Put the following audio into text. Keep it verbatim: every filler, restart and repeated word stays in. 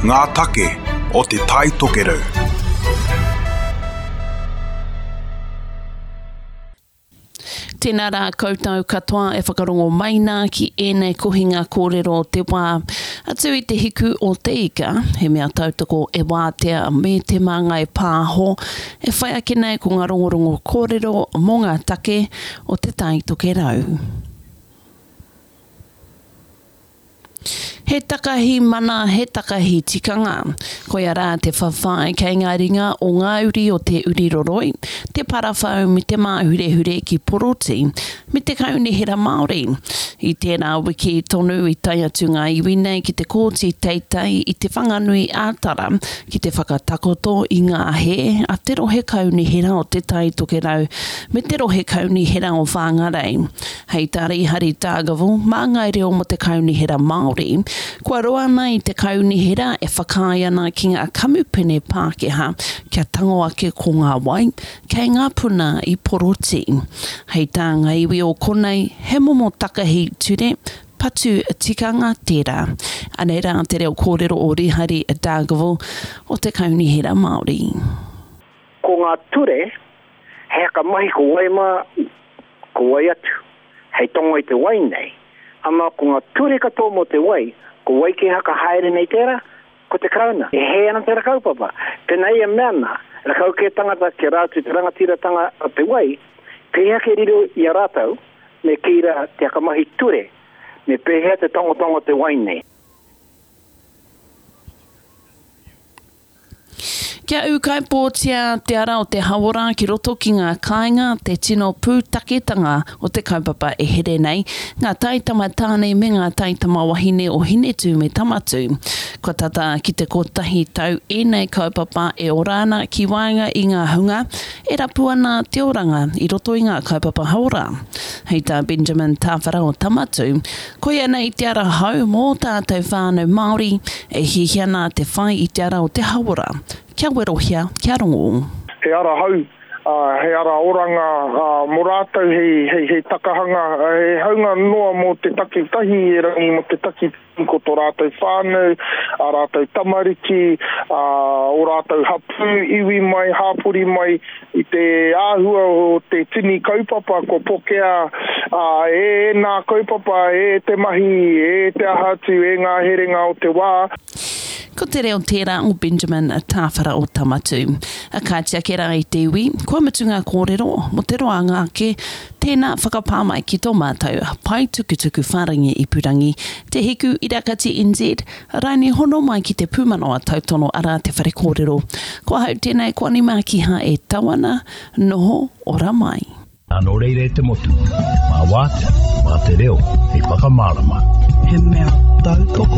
Ngā take o Te Tai Tokerau. Tēnā rā koutou katoa e whakarongo mai nā ki ēnei kohinga kōrero o te wā. Atu i te hiku o te ika, he mea tautoko e Wātea me Te Māngai Pāho, e whai ake nei ko ngā rongorongo kōrero mō ngā take o Te Tai Tokerau. He takahi mana, he takahi tikanga. Koia rā te whawhai kei ngā ringa o ngā uri o Te Uriroroi, Te Parawhau me Te Māhurehure ki Poroti, me te Kaunihera Māori. I tērā wiki tonu i tae atu ngā iwi nei ki te Kōti Teitei i Te Whanganui ā-Tara ki te whakatakoto i ngā hē a te rohe kaunihera o Te Tai Tokerau me te rohe kaunihera o Whangarei. Hei tā Rīhari Dargaville, māngai reo mō te Kaunihera Māori, kua roa ana i te kaunihera e whakaae ana ki ngā kamupene Pākehā kia tango ake ko ngā wai kei ngā puna i Poroti. Hei tā ngā iwi o konei, he momo takahi ture, patu tikanga tērā. Anei rā te reo kōrero o Rīhari Dargaville o te Kaunihera Māori. Ko ngā ture, he haka mahi ko wai mā, ko wai atu, hei tongo i te wai nei. Ama ko ngā ture katoa mō te wai, ko wai ke haka haere nei tērā, ko te Karauna. E hē ana tērā kaupapa. Pēnā ia mea ana, rakau kē tangata kia rātou te rangatiratanga o te wai, pēhea ke riro i a rātou, me kī rā te hakamahi ture, me pēhea te tongotongo te wai nei. Kia ūkaipōtia te ara o te hauora ki roto ki ngā kāinga, te tino pūtaketanga o te kaupapa e here nei, ngā taitama tāne me ngā taitama wahine o Hinetū me Tamatū. Kua tata ki te kotahi tau ēnei kaupapa e ora ana ki waenga i ngā hunga e rapu ana te oranga i roto i ngā kaupapa hauora. Hei tā Benjamin Tāwhara o Tamatū, koia nei te ara hou mō tātou whānau Māori e hiahia ana te whai i te ara o te hauora. Kia werohia, kia rongo. He ara hou, he ara oranga mō rātou, hei, hei, hei takahanga, he haunga noa mō te takitahi erangi mō te taki ko tō rātou whānau, a rātou tamariki, a o rātou hapū, iwi mai, hāpori mai, i te āhua o te tini kaupapa ko pokea a, e nā kaupapa, e te mahi, e te aha atu, e ngā herenga o te wā. Ko te reo tērā o Benjamin Tāwhara o Tamatū. A kāti ake rā i te iwi, kua mutu ngā kōrero mō te roanga ake, tēnā whakapā mai ki tō mātou pae tukutuku whārangi ipurangi, Te Hiku Irakati N Z, raini hono mai ki te pūmanawa tautono arā te whare kōrero. Ko ahau tēnei ko Ani Mākiha e tau ana, noho ora mai. Nō reira e te motu, mā Wātea, mā te reo, hei whakamārama. He mea tautoko